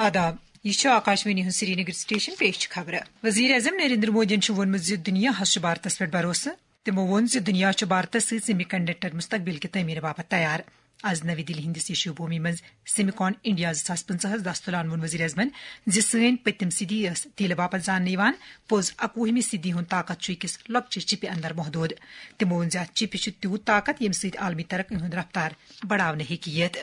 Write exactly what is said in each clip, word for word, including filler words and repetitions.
آداب، یہِ چھُ آکاشوانی ہُنٛد سرینگر سٹیشن۔ پیش چھِ خبرٕ۔ وزیر اعظم نریندر مودیَن چھُ ووٚنمُت زِ دُنیاہَس چھُ بھارتَس پٮ۪ٹھ بھروسہٕ۔ تِمو ووٚن زِ دُنیا چھُ بھارتَس سۭتۍ سیمی کنڈکٹر مستقبل کہِ تعمیٖرٕ باپتھ تیار۔ از نٔوی دِلہِ ہٕنٛدِس یشو بھومی منٛز سیمی کان انڈیا زٕ ساس پٕنٛژٕہَس دستورن ووٚن وزیر اعظمن زِ سٲنۍ پٔتِم صدی ٲس تیلہٕ باپتھ زاننہٕ یِوان۔ پوٚز اَکوُہمہِ صدی ہُنٛد طاقت چھُ أکِس لۄکچہِ چِپہِ اندر محدوٗد۔ تِمو ووٚن زِ اَتھ چِپہِ چھُ تیوٗت طاقت، ییٚمہِ سۭتۍ عالمی ترقی ہُنٛد رفتار بڑاونہٕ ہیٚکہِ یِتھ۔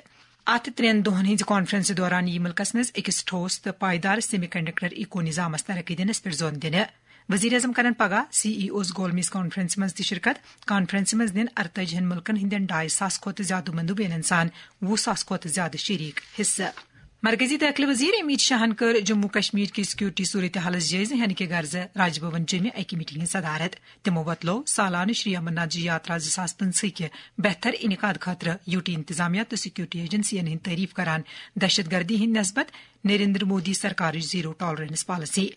اتھ ترٛٮ۪ن دۄہن ہٕنٛزِ کانفرنسہِ دوران یِیہِ مُلکس منٛز أکِس ٹھوس تہٕ پائیدار سیمی کنڈکٹر ایکو نظامس ترقی دِنس پٮ۪ٹھ زور دِنہٕ۔ وزیر اعظم کرن پگاہ سی ای اوز گول میز کانفرنسہِ منٛز تہِ شرکت۔ کانفرنسہِ منٛز نِن ارتٲجی ہن مُلکن ہٕنٛدٮ۪ن ڈاے ساس کھۄتہٕ زیادٕ مندوبینن سان وُہ ساس کھۄتہٕ زیادٕ شریک حصہٕ۔ مرکزی دٲخلہٕ وزیر امیت شاہن کٔر جموں کشمیر کہِ سیکورٹی صورتحالس جٲیزٕ ہینہٕ کہِ غرضہٕ راج بھون جیمہِ اکہِ میٹنگ ہٕنٛز صدارت۔ تِمو وۄتلوو سالانہٕ شری امرناتھ جی یاترا زٕ ساس پٕنٛژٕہٕکہِ بہتر انعقاد خٲطرٕ یوٗ ٹی انتظامیہ تہٕ سیکورٹی ایجنسین ہٕنٛدۍ تعریف کران، دہشت گردی ہٕنٛدِ نسبت نریندر مودی سرکارٕچ زیرو ٹالرنس پالیسی۔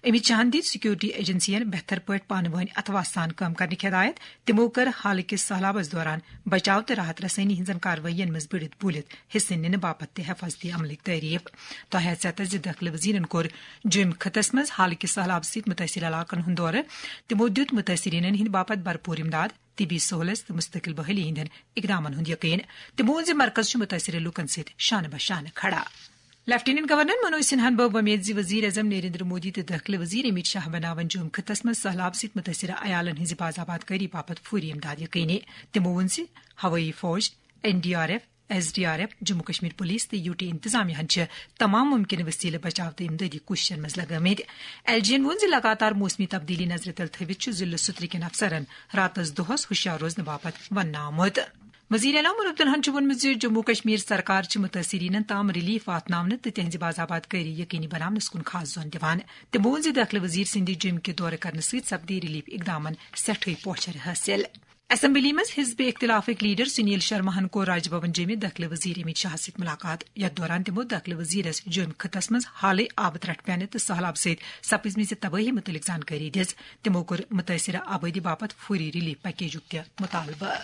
امیت شاہن دِتۍ سیکورٹی ایجنسین بہتر پٲٹھۍ پانہٕ وٲنۍ اتھواہ سان کٲم کرنٕکۍ ہدایت۔ تِمو کٔر حالہٕ کِس سہلابس دوران بچاو تہٕ راحت رسٲنی ہٕنٛزن کاروٲیین منٛز بٔڑِتھ بوٗلِتھ حصہٕ نِنہٕ باپتھ تہِ حفاظتی عملٕکۍ تعریف۔ توہہِ آسہِ ژےٚ زِ دٲخلہٕ وزیرن کوٚر جوٚمۍ خٕطس منٛز حالہٕ کہِ سہلاب سۭتۍ مُتٲثر علاقن ہُنٛد دورٕ۔ تِمو دیُت مُتٲثریٖنن ہٕنٛدِ باپتھ بھرپوٗر امداد، طبی سہوٗلژ تہٕ مستقل بحٲلی ہٕنٛدٮ۪ن اقدامن ہُنٛد یقین۔ تِمو ووٚن زِ مرکز چھُ مُتٲثرٕ لوٗکن سۭتۍ شانہٕ بہ شانہٕ کھڑا۔ لیفٹیننٹ گورنر منوج سنہاہن بٲو وۄمید زِ وزیر اعظم نریندر مودی تہٕ دٲخلہٕ وزیر امیت شاہ بناون جوٚمۍ خٕطس منٛز سہلاب سۭتۍ مُتٲثرٕ عیالن ہٕنٛزِ باز آباد کٲری باپتھ فوری امداد یقینی۔ تِمو ووٚن زِ ہوٲیی فوج، N D R F, S D R F, Jammu Kashmir police تہٕ یوٗ ٹی انتظامیہ ہن چھِ تمام ممکنہٕ وسیلہٕ بچاو تہٕ امدادی کوٗششن منٛز لگٲومٕتۍ۔ ایل جی ین ووٚن زِ لگاتار موسمی تبدیلی نظرِ تل تھٲوِتھ چھُ ضلعہٕ سترٕ کٮ۪ن افسرن راتس دۄہس ہُشیار روزنہٕ باپتھ وننہٕ آمُت۔ وزیر اعلیٰ عمر عبداللہن چھُ ووٚنمُت زِ جموں کشمیر سرکار چھِ مُتٲثریٖنَن تام ریلیف واتناونہٕ تہٕ تِہنٛزِ باز آباد کٲری یقینی بناونَس کُن خاص زون دِوان۔ تِمو ووٚن زِ دٲخلہٕ وزیر سٕنٛدِ جوٚمہِ کہِ دورٕ کرنہٕ سۭتۍ سپدِ ریلیف اقدامن سٮ۪ٹھٕے پوچھر حٲصِل۔ اسمبلی منٛز حزب اختلافٕکۍ لیڈر سنیل شرماہن کوٚر راج بھون جیمہِ دٲخلہٕ وزیر امیت شاہس سۭتۍ ملاقات، یتھ دوران تِمو دٲخلہٕ وزیرس جوٚمۍ خٕطس منٛز حالٕے آبہٕ ترٹھ پینہٕ تہٕ سہلاب سۭتۍ سپٕزمٕژِ تبٲہی مُتعلق زانکٲری دِژ۔ تِمو کوٚر مُتٲثرٕ آبٲدی باپتھ فوری ریلیف پیکیجُک تہِ مُطالبہٕ۔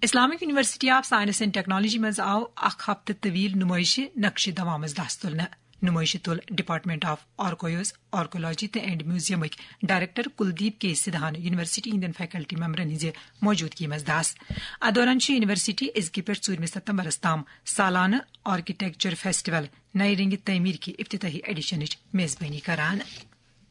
Islamic university of science and technology منٛز آو اکھ ہفتہٕ طویل نمٲیشہِ نقشہِ دوامس دس تُلنہٕ۔ نمٲیشہِ تُل ڈپارٹمنٹ آف آرکویوز، آرکیولوجی تہٕ اینڈ میوزیمٕکۍ ڈائریکٹر کلدیپ کے سدھاہن یونیورسٹی ہٕنٛدٮ۪ن فیکلٹی ممبرن ہٕنٛزِ موجودگی منٛز دس۔ اتھ دوران چھِ یونیورسٹی أزکہِ پٮ۪ٹھ ژوٗرمہِ ستمبرس تام سالانہٕ آرکیٹیکچر فیسٹیول نئے رنگِ تعمیر کہِ افتتاحی ایڈیشنٕچ میزبانی کران۔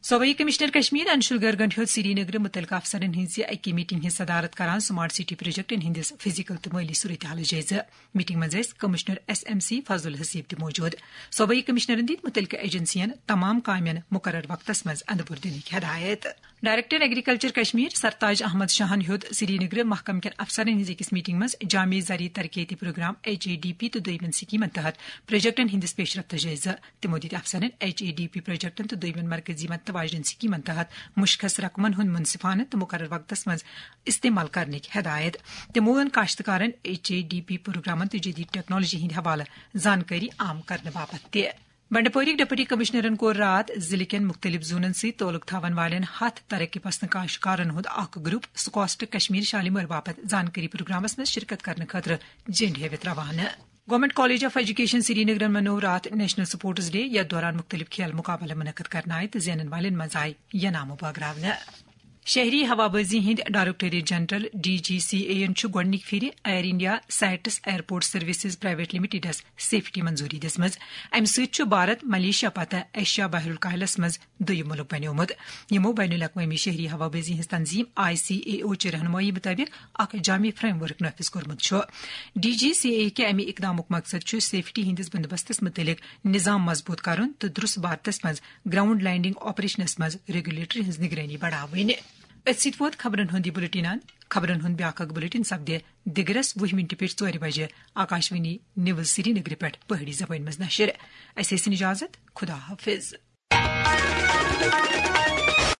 صوبائی کمشنر کشمیر انشول گرگن ہیوٚت سری نگرٕ متعلقہٕ افسرن ہٕنٛزِ اکہِ میٹنگ ہٕنٛز صدارت کران سمارٹ سٹی پروجیکٹن ہٕنٛدِس فزیکل تہٕ مٲلی صورتحالٕچ جٲیزٕ۔ میٹنگ منٛز ٲسۍ کمشنر ایس ایم سی فضل حسیب تہِ موجود۔ صوبائی کمشنرن دِتۍ متعلقہٕ ایجنسین تمام کامٮ۪ن مقرر وقتس منٛز اندٕ بُر دِنٕکۍ ہدایت۔ ڈائریکٹر ایگریکلچر کشمیر سرتاج احمد شاہن ہیوٚت سری نگرٕ محکمہٕ کٮ۪ن افسرن ہٕنٛز أکِس میٹنگ منٛز جامع زرعی ترقیتی programme, H A D P, تہٕ دوٚیمٮ۪ن سکیمن تحت پروجیکٹن ہٕنٛدِس پیش رفتس جٲیزٕ۔ تِمو دِتۍ افسرن ایچ اے ڈی پی پروجیکٹن تہٕ دوٚیمٮ۪ن مرکزی مد تواجن سکیمن تحت مشخص رقمن ہُنٛد منصفانہٕ تہٕ مقرر وقتس منٛز استعمال کرنٕکۍ ہدایت۔ تِمو ووٚن کاشتکارن ایچ اے ڈی پی پروگرامن تہٕ جدید ٹیکنالوجی ہٕنٛدِ حوالہٕ زانکٲری عام کرنہٕ باپتھ تہِ۔ بنڈپورِک ڈپٹی کمشنرن کوٚر راتھ ضلعہٕ کٮ۪ن مُختٔلِف زونن سۭتۍ تعلق تھاون والٮ۪ن ہتھ ترقی پسند کاشتکارن ہُنٛد اکھ گروپ سکاسٹ کشمیر شالیمار باپتھ زانکٲری پروگرامس منٛز شرکت کرنہٕ خٲطرٕ جنڈ ہٲوِتھ روانہٕ۔ گورنمنٹ کالج آف ایجوکیشن سری نگرن منوو راتھ نیشنل سپورٹس ڈے، یتھ دوران مُختٔلِف کھیل مقابلہٕ منعقد کرنہٕ آیہِ تہٕ زینن والٮ۪ن منٛز آیہِ ینامہٕ بٲگراونہٕ۔ شہری ہوابازی ہٕنٛدۍ directorate general, D G C A یَن چھُ گۄڈٕنِکہِ پھِرِ Air India SATS airport services private لمیٹڈس سیفٹی منظوری دِژمٕژ۔ اَمہِ سۭتۍ چھُ بھارت ملیشیا پتہٕ ایشیا بحر الکاہلس منٛز دوٚیِم مُلک بنیومُت، یِمو بین الاقوٲمی شہری ہوابازی ہٕنٛز تنظیم آئی سی اے او چہِ رہنمٲیی مُطٲبِق اکھ جامع فریم ورک نافذ کوٚرمُت چھُ۔ ڈی جی سی اے کہِ اَمہِ اقدامُک مقصد چھُ سیفٹی ہٕنٛدِس بندوبستس مُتعلق نظام مضبوٗط کرُن تہٕ درست بھارتس منٛز گراؤنڈ لینڈنگ آپریشنس منٛز ریگولیٹری ہٕنٛز نگرٲنی بڑاوٕنۍ۔ أتھۍ سۭتۍ ووت خبرن ہُنٛد یہِ بُلٹن اند۔ خبرن ہُنٛد بیٛاکھ اکھ بُلٹن سپدِ دِگرس وُہہِ مِنٹہِ پٮ۪ٹھ ژورِ بجہِ آکاشوانی نیوز سری نگرٕ پٮ۪ٹھ پہٲڑی زبٲنۍ منٛز نشر۔ اَسہِ ٲسِن اجازت۔ خدا حافظ۔